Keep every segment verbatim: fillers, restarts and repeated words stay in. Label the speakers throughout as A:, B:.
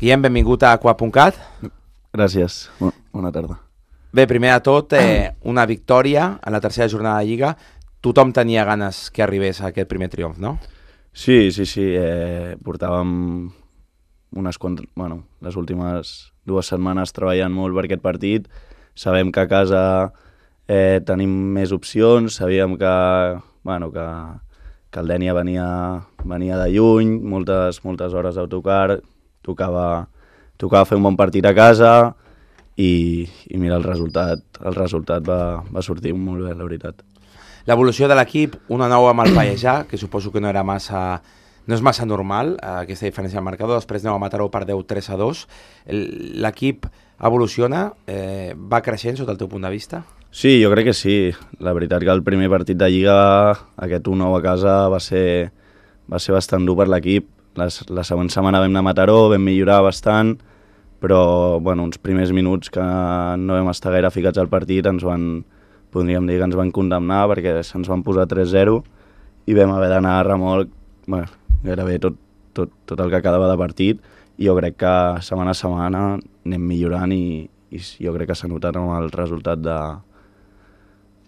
A: Guillem, benvingut a aqua punt cat.
B: Gràcies, bona tarda.
A: Bé, primer de tot, eh, una victòria en la tercera jornada de Lliga. Tothom tenia ganes que arribés a aquest primer triomf, no?
B: Sí, sí, sí, eh, portàvem unes quantes, bueno, les últimes dues setmanes treballant molt per aquest partit. Sabem que a casa eh, tenim més opcions, sabíem que, bueno, que, que el Dénia venia, venia de lluny, moltes, moltes hores d'autocar, tocava, tocava fer un bon partit a casa i, i mira, el resultat, el resultat va, va sortir molt bé, la veritat.
A: L'evolució de l'equip, una nou amb el Pallejà, que suposo que no era massa, no és massa normal, eh, aquesta diferència del marcador, després aneu a Mataró per deu tres a dos. L'equip evoluciona, eh, va creixent sota el teu punt de vista?
B: Sí, jo crec que sí. La veritat que el primer partit de Lliga, aquest u nou a casa, va ser, va ser bastant dur per l'equip. La, la següent setmana vam anar a Mataró, vam millorar bastant, però bueno, uns primers minuts que no vam estar gaire ficats al partit ens van, podríem dir que ens van condemnar perquè se'ns van posar tres zero i vam haver d'anar a remolc bueno, gairebé tot, tot, tot el que quedava de partit i jo crec que setmana a setmana anem millorant i, i jo crec que s'ha notat amb el resultat de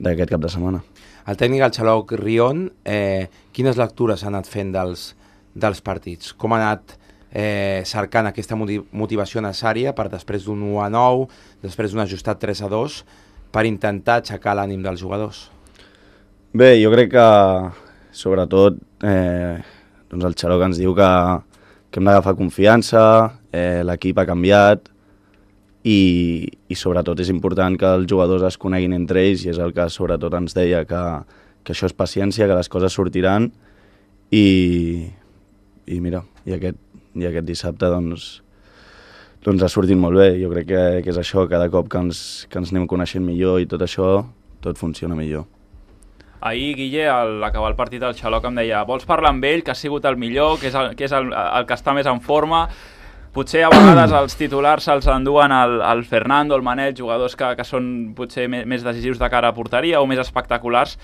B: d'aquest cap de setmana.
A: El tècnic, el Xaloc Rion, eh, quines lectures ha anat fent dels, dels partits? Com ha anat eh, cercant aquesta motivació necessària per després d'un u a nou, després d'un ajustat tres a dos, per intentar aixecar l'ànim dels jugadors?
B: Bé, jo crec que sobretot eh, doncs el Xaloc ens diu que, que hem d'agafar confiança, eh, l'equip ha canviat i, i sobretot és important que els jugadors es coneguin entre ells i és el que sobretot ens deia, que, que això és paciència, que les coses sortiran i, i mira, i aquest, i aquest dissabte doncs, doncs ha sortit molt bé. Jo crec que, que és això, cada cop que ens, que ens anem coneixent millor i tot això, tot funciona millor.
C: Ahir, Guille, al acabar el partit, el Xaloc em deia vols parlar amb ell, que ha sigut el millor, que és el que, és el, el que està més en forma. Potser a vegades els titulars se'ls enduen el, el Fernando, el Manel, jugadors que, que són potser més, més decisius de cara a porteria o més espectaculars,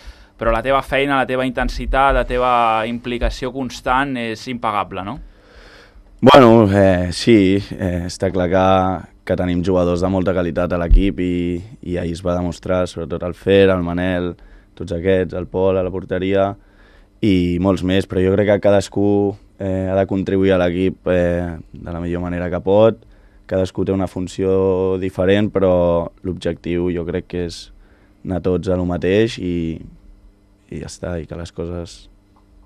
C: però la teva feina, la teva intensitat, la teva implicació constant és impagable, no?
B: Bueno, eh, sí, eh, està clar que, que tenim jugadors de molta qualitat a l'equip i, i ahir es va demostrar, sobretot el Fer, el Manel, tots aquests, el Pol a la porteria i molts més, però jo crec que cadascú eh, ha de contribuir a l'equip eh, de la millor manera que pot, cadascú té una funció diferent, però l'objectiu jo crec que és anar tots a lo mateix i, i ja està, i que les coses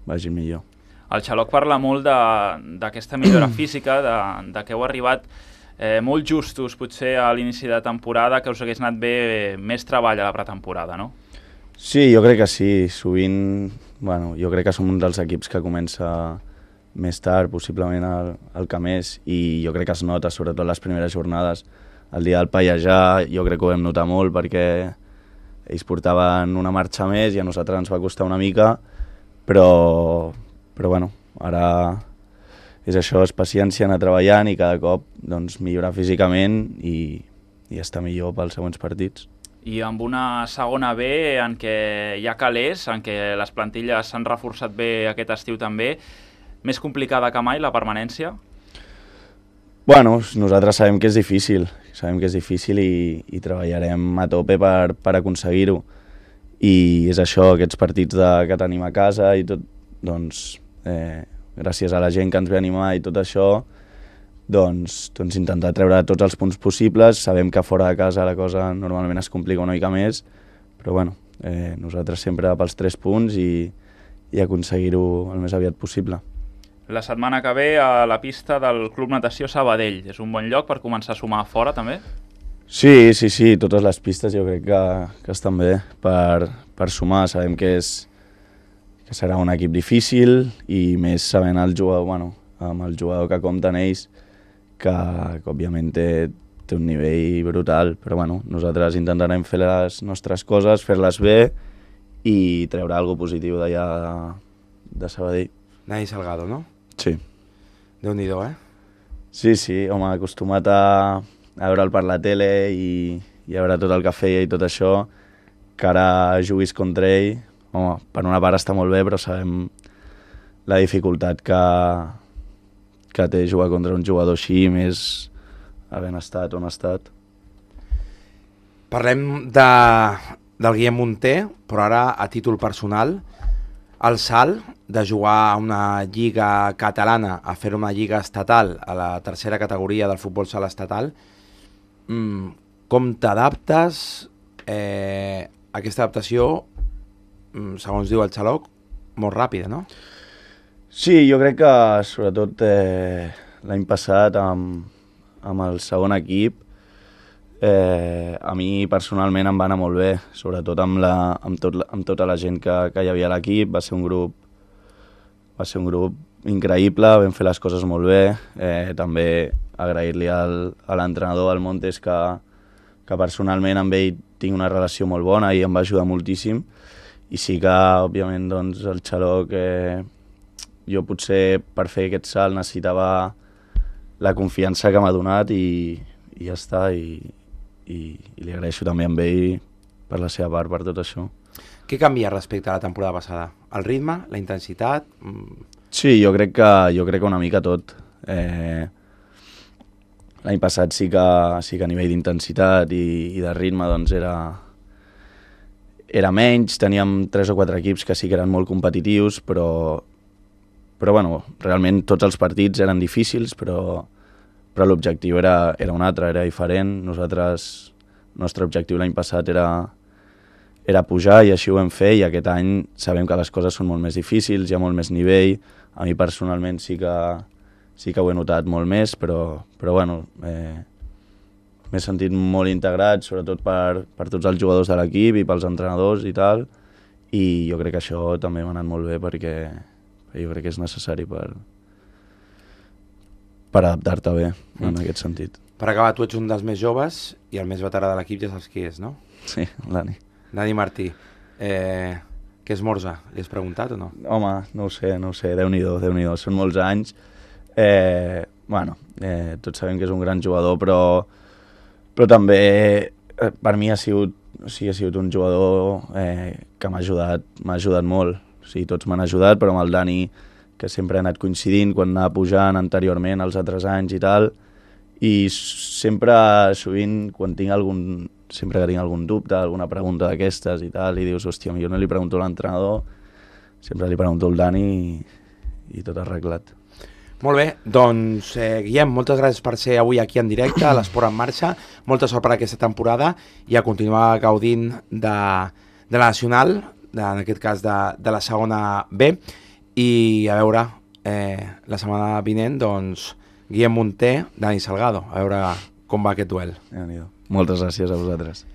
B: vagin millor.
C: El Xaloc parla molt d'aquesta millora física, de, de que heu arribat eh, molt justos potser a l'inici de temporada, que us hagués anat bé més treball a la pretemporada, no?
B: Sí, jo crec que sí. Sovint, bueno, jo crec que som un dels equips que comença més tard, possiblement el, el que més, i jo crec que es nota, sobretot les primeres jornades. El dia del Pallejà jo crec que ho vam notar molt perquè ells portaven una marxa més i a nosaltres ens va costar una mica, però... Però bueno, ara és això, és paciència, anar treballant i cada cop doncs, millorar físicament i, i estar millor pels següents partits.
C: I amb una segona B en què hi ha calés, en què les plantilles s'han reforçat bé aquest estiu també, més complicada que mai la permanència?
B: Bueno, nosaltres sabem que és difícil, sabem que és difícil i, i treballarem a tope per, per aconseguir-ho. I és això, aquests partits de, que tenim a casa i tot, doncs... Eh, gràcies a la gent que ens ve animar i tot això, doncs, doncs intentar treure tots els punts possibles. Sabem que fora de casa la cosa normalment es complica una mica més, però bueno, eh, nosaltres sempre pels tres punts i, i aconseguir-ho el més aviat possible.
C: La setmana que ve a la pista del Club Natació Sabadell. És un bon lloc per començar a sumar fora també?
B: Sí, sí, sí, totes les pistes jo crec que, que estan bé per, per sumar. Sabem que és que serà un equip difícil i més sabent el jugador, bueno, amb el jugador que compten ells, que, que òbviament té, té un nivell brutal, però bueno, nosaltres intentarem fer les nostres coses, fer-les bé i treure alguna cosa positiu d'allà de, de Sabadell.
A: Nai Salgado, no?
B: Sí.
A: Déu-n'hi-do, eh?
B: Sí, sí, home, acostumat a, a veure'l per la tele i, i a veure tot el que feia i tot això, que ara juguis contra ell. Home, per una part està molt bé, però sabem la dificultat que, que té jugar contra un jugador així, més havent estat on ha estat.
A: Parlem de, del Guillem Munté, però ara a títol personal. El salt de jugar a una lliga catalana a fer una lliga estatal, a la tercera categoria del futbol sala estatal, mm, com t'adaptes? Eh, aquesta adaptació, mm, segons diu el Xaloc, molt ràpida, no?
B: Sí, jo crec que sobretot eh, l'any passat amb, amb el segon equip eh, a mi personalment em va anar molt bé, sobretot amb, la, amb, tot, amb tota la gent que, que hi havia a l'equip. Va ser un grup va ser un grup increïble, vam fer les coses molt bé. Eh, també agrair-li al, a l'entrenador, al Montes, que, que personalment amb ell tinc una relació molt bona i em va ajudar moltíssim. I sí que, òbviament, doncs, el Xaloc, eh, jo potser per fer aquest salt necessitava la confiança que m'ha donat i, i ja està. I, i, i li agraeixo també a ell per la seva part, per tot això.
A: Què canvia respecte a la temporada passada? El ritme, la intensitat?
B: Sí, jo crec que, jo crec que una mica tot. Eh, L'any passat sí que, sí que a nivell d'intensitat i, i de ritme doncs era, era menys, teníem tres o quatre equips que sí que eren molt competitius, però, però bueno, realment tots els partits eren difícils, però, però l'objectiu era, era un altre, era diferent. Nosaltres, el nostre objectiu l'any passat era, era pujar i així ho vam fer, i aquest any sabem que les coses són molt més difícils, hi ha molt més nivell. A mi personalment sí que, sí que ho he notat molt més, però, però bueno, eh, m'he sentit molt integrat, sobretot per, per tots els jugadors de l'equip i pels entrenadors i tal, i jo crec que això també m'ha anat molt bé perquè, perquè jo crec que és necessari per, per adaptar-te bé en mm. aquest sentit.
A: Per acabar, tu ets un dels més joves i el més veterà de l'equip ja saps qui és, no?
B: Sí, Dani.
A: Dani Martí. Eh, què esmorza? Li has preguntat o no?
B: Home, no ho sé, no ho sé, Déu-n'hi-do, Déu-n'hi-do, són molts anys. Eh, bueno, eh, tots sabem que és un gran jugador, però, però també eh, per mi ha sigut, o sigui, ha sigut un jugador eh, que m'ha ajudat, m'ha ajudat molt. O sigui, tots m'han ajudat, però amb el Dani, que sempre ha anat coincidint quan anava pujant anteriorment els altres anys i tal, i sempre, sovint, quan tinc algun, sempre que tinc algun dubte, alguna pregunta d'aquestes i tal, i dius, hòstia, jo no li pregunto a l'entrenador, sempre li pregunto al Dani i, i tot arreglat.
A: Molt bé, doncs eh, Guillem, moltes gràcies per ser avui aquí en directe a l'Esport en Marxa, molta sort per aquesta temporada i a continuar gaudint de, de la Nacional, de, en aquest cas de, de la segona B, i a veure, eh, la setmana vinent, doncs, Guillem Munté, Dani Salgado, a veure com va aquest duel.
B: Moltes gràcies a vosaltres.